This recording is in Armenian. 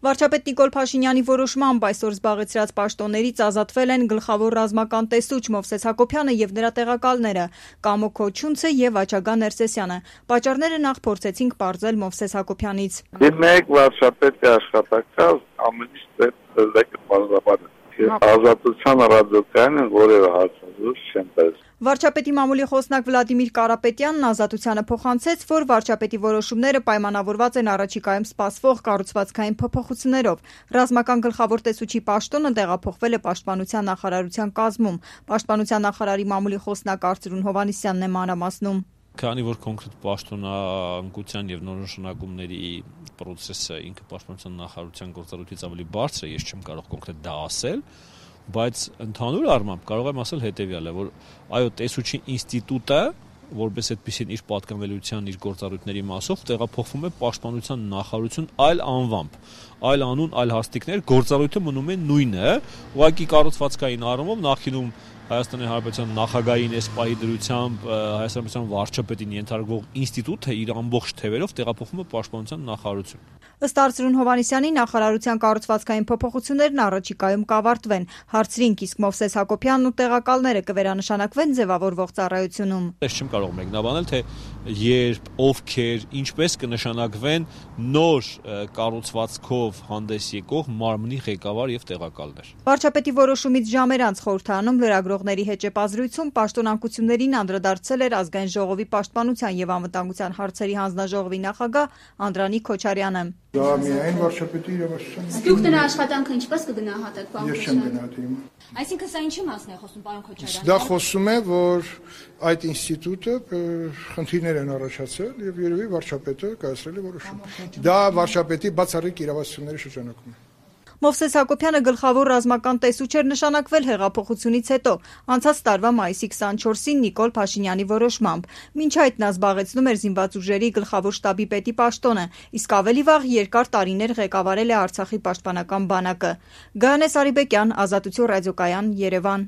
Վարչապետ Նիկոլ Փաշինյանի որոշմամբ այսօր զբաղեցրած պաշտոններից ազատվել են գլխավոր ռազմական տեսուչ Մովսես Հակոբյանը եւ նրա տեղակալները Կամո Քոչունցը եւ Աչագա Ներսեսյանը։ Պատճառները նախ փորձեցինք պարզել Մովսես Հակոբյանից։ Մեկ վարչապետի աշխատակցած ամենից դեպք բանալաբար ազատության ռադիկալն որևէ հարցազրույց չեն տալիս։ Վարչապետի մամուլի խոսնակ Վլադիմիր Կարապետյանն Ազատությանը փոխանցեց, որ վարչապետի որոշումները պայմանավորված են առաջիկայում սպասվող կառուցվածքային փոփոխություններով։ Ռազմական գլխավոր տեսուչի պաշտոնը տեղափոխվել է Պաշտպանության նախարարության կազմում։ Պաշտպանության նախարարի մամուլի խոսնակ Արծրուն Հովհաննիսյանն է մանրամասնում։ Քանի որ կոնկրետ պաշտոնանկության եւ նորնշանակումների process-ը ինքը Պաշտպանության նախարարության գործառույթից ավելի բարձր է, ես չեմ կարող կոնկրետ դա ասել, բայց ընդհանուր առմամբ կարող եմ ասել հետեւյալը, որ այո, տեսուչի ինստիտուտը, որպես այդպեսին իր պատկանելիության, իր գործառույթների մասով տեղափոխվում է Պաշտպանության նախարարություն այլ անվամբ, այլ անուն, այլ հաստիկներ, գործառույթը մնում է նույնը, ուղղակի կառուցվածքային առումով նախինում Հայաստանի Հանրապետության նախագահային այս պահի դրությամբ Հայաստանի Հանրապետության վարչապետին ենթարկվող ինստիտուտը իր ամբողջ թևերով տեղափոխվում է Պաշտպանության նախարարություն։ Ըստ Արծրուն Հովհաննիսյանի նախարարության կառուցվածքային փոփոխություններն առաջիկայում կավարտվեն։ Հարցրինք, իսկ Մովսես Հակոբյանն ու տեղակալները կվերանշանակվեն ձևավորվող ծառայությունում։ Ես չեմ կարող մեկնաբանել, թե երբ, ովքեր, ինչպես կնշանակվեն նոր կառուցվածքով հանդես եկող մարմնի ղեկավար եւ տեղակալներ։ Վարչապետի որոշումից ժամեր անց խորհրդարանում լրագրողների հետ ճեպազրույցում պաշտոնանկություններին անդրադարձել էր Ազգային ժողովի պաշտպանության եւ անվտանգության հարցերի հանձնաժողովի նախագահ Անդրանիկ Քոչարյանը։ Դա միայն վարչապետի իրավասության։ Դուք նրա աշխատանքը ինչպես կգնահատեք, պարոն Ես չեմ գնահատում։ Այսինքն սա ինչի մասն է խոսում, պարոն Քոչարյան։ Դա խոսում է, որ այդ ինստիտուտը խնդիրներ են առաջացել եւ երևի վարչապետը կայացրել է որոշում։ Դա վարչապետի բացառիկ իրավասությունների շրջանակում է։ Մովսես Հակոբյանը գլխավոր ռազմական տեսուչ էր նշանակվել հեղափոխությունից հետո, անցած տարվա մայիսի 24-ին Նիկոլ Փաշինյանի որոշմամբ։ Մինչ այդ նա զբաղեցնում էր զինված ուժերի գլխավոր շտաբի պետի պաշտոնը, իսկ ավելի վաղ երկար տարիներ ղեկավարել է Արցախի պաշտպանական բանակը։ Գայանե Սարիբեկյան, Ազատություն ռադիոկայան, Երևան։